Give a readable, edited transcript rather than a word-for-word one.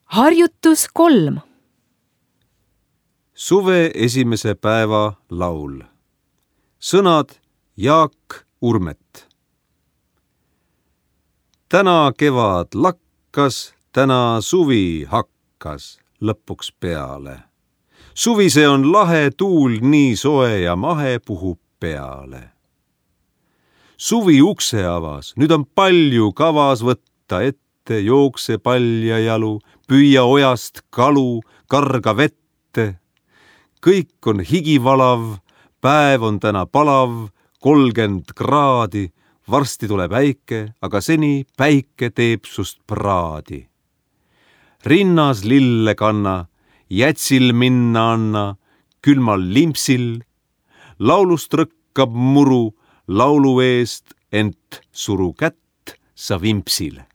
Harjutus 3. Suve esimese päeva laul. Sõnad Jaak Urmet. Täna kevad lakkas, täna suvi hakkas lõpuks peale. Suvise on lahe, tuul nii soe ja mahe puhub peale. Suvi ukse avas, nüüd on palju kavas võtta ette, jookse palja jalu, püüa ojast kalu, karga vette. Kõik on higivalav, päev on täna palav, 30 kraadi, varsti tuleb äike, aga seni päike teeb sust praadi. Rinnas lille kanna, jätsil minna anna, külmal limpsil, laulust rõkkab muru, laulu eest ent suru kätt sa vimpsil.